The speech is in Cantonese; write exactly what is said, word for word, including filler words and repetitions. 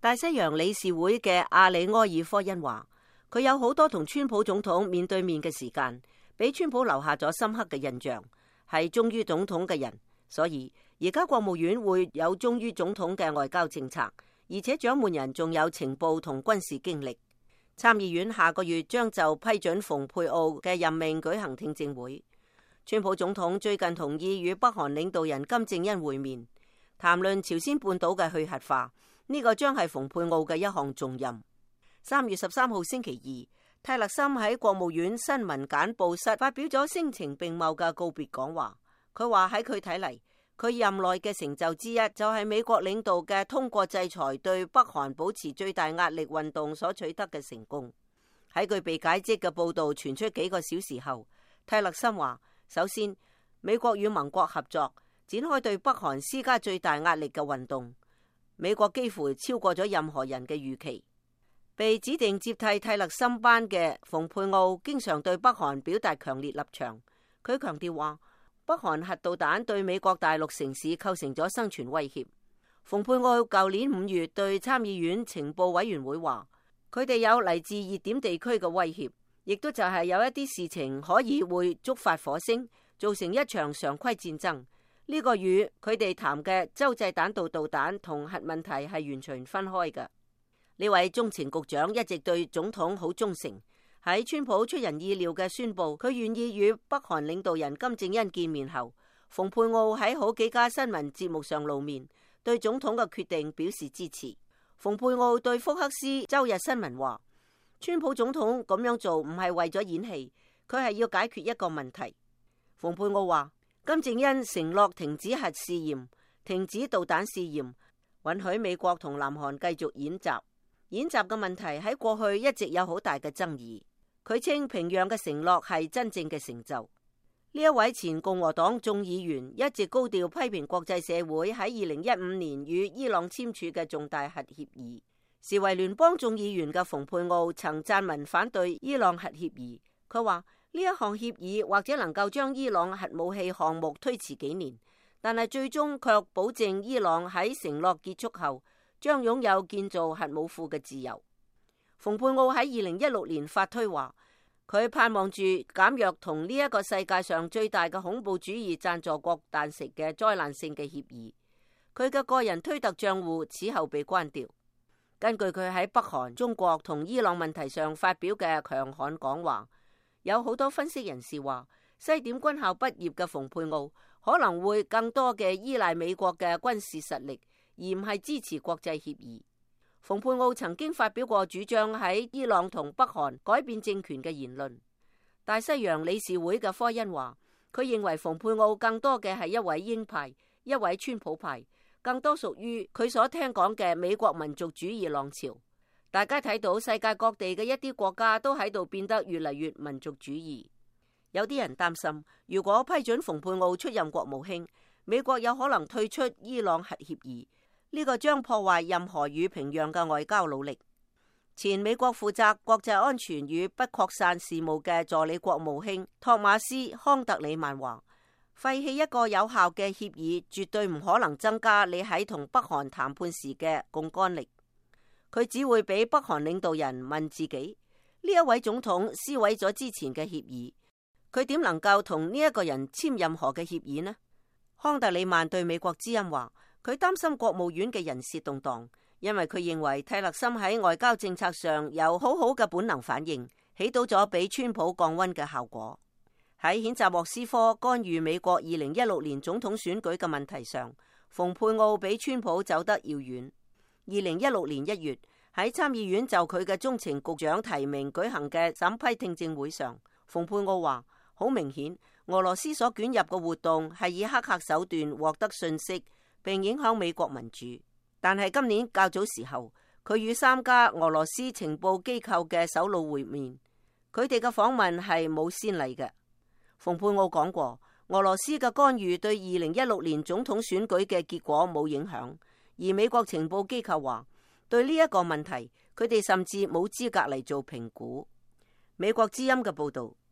大西洋理事會嘅阿里埃爾科恩話，佢有好多同川普總統面對面嘅時間，俾川普留下咗深刻嘅印象，係忠於總統嘅人。所以而家國務院會有忠於總統嘅外交政策，而且掌門人仲有情報同軍事經歷。參議院下個月將就批准蓬佩奧嘅任命舉行聽證會。川普總統最近同意與北韓領導人金正恩會面，談論朝鮮半島嘅去核化。呢個將係蓬佩奧嘅一項重任。三月十三號星期二，泰勒森喺國務院新聞簡報室發表咗聲情並茂嘅告別講話。佢話喺佢睇嚟，佢任內嘅成就之一就係美國領導嘅通過制裁對北韓保持最大壓力運動所取得嘅成功。喺佢被解職嘅報道傳出幾個小時後，泰勒森話：首先，美國與盟國合作，展開對北韓施加最大壓力嘅運動。美國幾乎超過咗任何人嘅預期。被指定接替泰勒森班嘅蓬佩奧經常對北韓表達強烈立場。佢強調話，北韓核導彈對美國大陸城市構成咗生存威脅。蓬佩奧舊年五月對參議院情報委員會話，佢哋有嚟自熱點地區嘅威脅，亦都就係有一啲事情可以會觸發火星，造成一場常規戰爭。呢個與佢哋談嘅洲際彈道導彈同核問題係完全分開嘅。呢位中情局長一直對總統好忠誠。喺川普出人意料嘅宣布佢願意與北韓領導人金正恩見面後，蓬佩奧喺好幾家新聞節目上露面，對總統嘅決定表示支持。蓬佩奧對福克斯周日新聞話，川普總統咁樣做唔係為咗演戲，佢係要解決一個問題。蓬佩奧話，金正恩承諾停止核試驗、停止導彈試驗，允許美國同南韓繼續演習。演習嘅問題喺過去一直有好大嘅爭議。佢稱平壤嘅承諾係真正嘅成就。呢一位前共和黨眾議員一直高調批評國際社會喺二零一五年與伊朗簽署嘅重大核協議。時為聯邦眾議員嘅蓬佩奧曾撰文反對伊朗核協議。佢話，呢一項協議或者能夠將伊朗核武器項目推遲幾年，但係最終卻保證伊朗喺承諾結束後將擁有建造核武庫嘅自由。蓬佩奧喺二零一六年發推話，佢盼望住減弱同呢一個世界上最大嘅恐怖主義贊助國達成嘅災難性嘅協議。佢嘅個人推特賬戶此後被關掉。根據佢喺北韓、中國同伊朗問題上發表嘅強悍講話，有好多分析人士話，西點軍校畢業嘅蓬佩奧可能會更多嘅依賴美國嘅軍事實力，而唔係支持國際協議。蓬佩奧曾經發表過主張喺伊朗同北韓改變政權嘅言論。大西洋理事會嘅科恩話，佢認為蓬佩奧更多嘅係一位鷹派，一位川普派，更多屬於佢所聽講嘅美國民族主義浪潮。大家睇到世界各地嘅一啲國家都喺度變得越嚟越民族主義。有啲人擔心，如果批准蓬佩奧出任國務卿，美國有可能退出伊朗核協議，呢個將破壞任何與平壤嘅外交努力。前美國負責國際安全與不擴散事務嘅助理國務卿托馬斯康特里曼話，廢棄一個有效嘅協議絕對唔可能增加你喺同北韓談判時嘅槓桿力。佢只會俾北韓領導人問自己，呢一位總統撕毀咗之前嘅協議，佢點能夠同呢一個人簽任何嘅協議呢？康特里曼對美國之音話，佢擔心國務院嘅人事動盪，因為佢認為泰勒森喺外交政策上有好好嘅本能反應，起到咗俾川普降溫嘅效果。喺譴責莫斯科干預美國二零一六年總統選舉嘅問題上，蓬佩奧比川普走得遙遠。二零一六年一月，喺參議院就佢嘅中情局長提名舉行嘅審批聽證會上，蓬佩奧話，好明顯俄羅斯所捲入嘅活動係以黑客手段獲得信息，並影響美國民主。但係今年較早時候，佢與三家俄羅斯情報機構嘅首腦會面，佢哋嘅訪問係冇先例嘅。蓬佩奧講過，俄羅斯嘅干預對二零一六年總統選舉嘅結果冇影響。而美國情報機構話，對呢一個問題，佢哋甚至冇資格嚟做評估。美國之音嘅報道。